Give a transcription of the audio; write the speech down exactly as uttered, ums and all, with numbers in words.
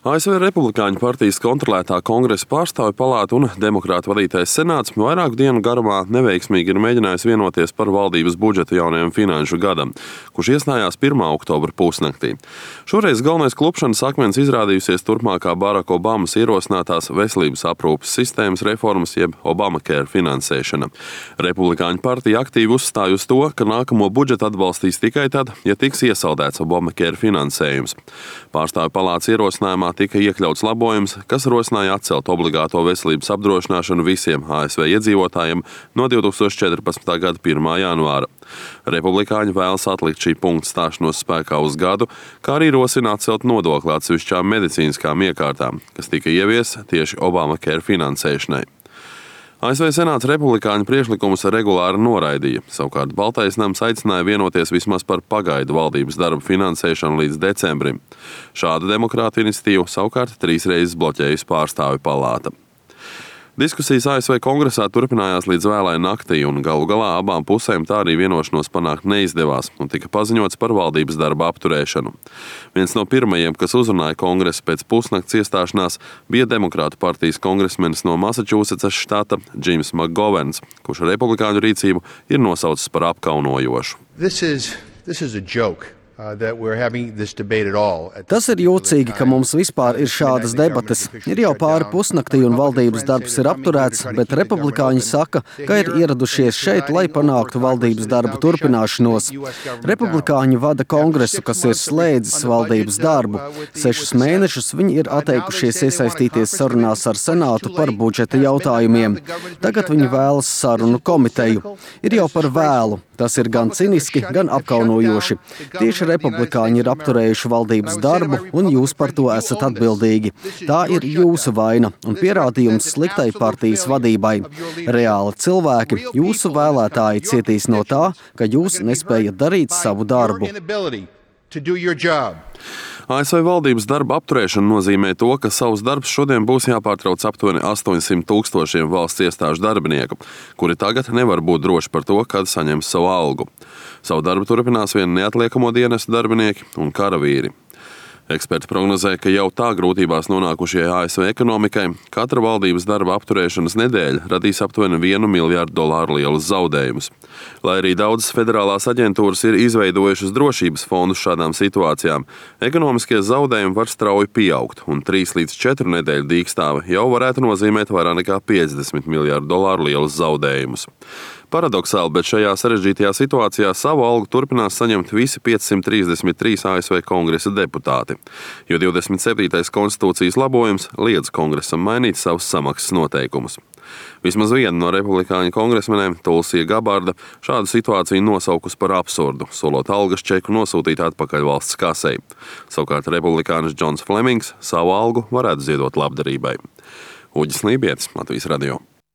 A S V Republikāņu partijas kontrolētā Kongresa pārstāvju palāta un demokrātu vadītais senāts vairāku dienu garumā neveiksmīgi ir mēģinājis vienoties par valdības budžetu jaunajam finanšu gadam, kurš iestājās pirmā oktobra pusnaktī. Šoreiz galvenais klupšanas akmens izrādījusies turpmākā Baraka Obamas ierosinātās veselības aprūpes sistēmas reformas jeb Obamacare finansēšana. Republikāņu partija aktīvi uzstāj uz to, ka nākamo budžetu atbalstīs tikai tad, ja tiks iesaldēts Obamacare finansējums. Pārstāvju palātas ierosinājumā tika iekļauts labojums, kas rosināja atcelt obligāto veselības apdrošināšanu visiem A S V iedzīvotājiem no divi tūkstoši četrpadsmitā gada pirmā janvāra. Republikāņi vēlas atlikt šī punkta stāšanos spēkā uz gadu, kā arī rosina atcelt nodokli atsevišķām medicīniskām iekārtām, kas tika ievies tieši Obamacare finansēšanai. A S V senāts republikāņu priekšlikumus regulāri noraidīja, savukārt Baltais nams aicināja vienoties vismaz par pagaidu valdības darbu finansēšanu līdz decembrim. Šādu demokrātu iniciatīvu savukārt trīs reizes bloķējusi pārstāvju palāta. Diskusijas A S V kongresā turpinājās līdz vēlai naktī, un galu galā abām pusēm tā arī vienošanos panākt neizdevās, un tika paziņots par valdības darba apturēšanu. Viens no pirmajiem, kas uzrunāja kongresu pēc pusnakts iestāšanās, bija demokrātu partijas kongresmenis no Massachusettsas štata Džims Makgovens, kurš republikāņu rīcību ir nosaucis par apkaunojošu. This is, this is a joke. Tas ir jocīgi, ka mums vispār ir šādas debates. Ir jau pāri pusnaktī un valdības darbs ir apturēts, bet republikāņi saka, ka ir ieradušies šeit, lai panāktu valdības darbu turpināšanos. Republikāņi vada kongresu, kas ir slēdzis valdības darbu. Sešus mēnešus viņi ir atteikušies iesaistīties sarunās ar senātu par budžeta jautājumiem. Tagad viņi vēlas sarunu komiteju. Ir jau par vēlu. Tas ir gan ciniski, gan apkaunojoši. Tieši republikāņi ir apturējuši valdības darbu, un jūs par to esat atbildīgi. Tā ir jūsu vaina un pierādījums sliktai partijas vadībai. Reāli cilvēki, jūsu vēlētāji cietīs no tā, ka jūs nespējat darīt savu darbu. A S V valdības darba apturēšana nozīmē to, ka savus darbus šodien būs jāpārtrauc aptuveni astoņsimt tūkstošiem valsts iestāžu darbinieku, kuri tagad nevar būt droši par to, kad saņems savu algu. Savu darbu turpinās vien neatliekamo dienestu darbinieki un karavīri. Eksperti prognozē, ka jau tā grūtībās nonākušajai A S V ekonomikai katra valdības darba apturēšanas nedēļa radīs aptuveni vienu miljārdu dolāru lielus zaudējumus. Lai arī daudzas federālās aģentūras ir izveidojušas drošības fondus šādām situācijām, ekonomiskie zaudējumi var strauji pieaugt, un trīs līdz četru nedēļu dīkstāve jau varētu nozīmēt vairāk nekā piecdesmit miljārdu dolāru lielus zaudējumus. Paradoxāli, bet šajā sarežģītajā situācijā savu algu turpinās saņemt visi piecsimt trīsdesmit trīs A S V kongresa deputāti, jo divdesmit septītais konstitūcijas labojums liedz kongresam mainīt savus samaksas noteikumus. Vismaz viena no republikāņu kongresmenēm, Tulsija Gabarda, šādu situāciju nosaukusi par absurdu, solot algas čeku nosūtīt atpakaļ valsts kasei. Savukārt republikānis Džons Flemings savu algu varētu ziedot labdarībai. Uģis Lībietis, Latvijas radio.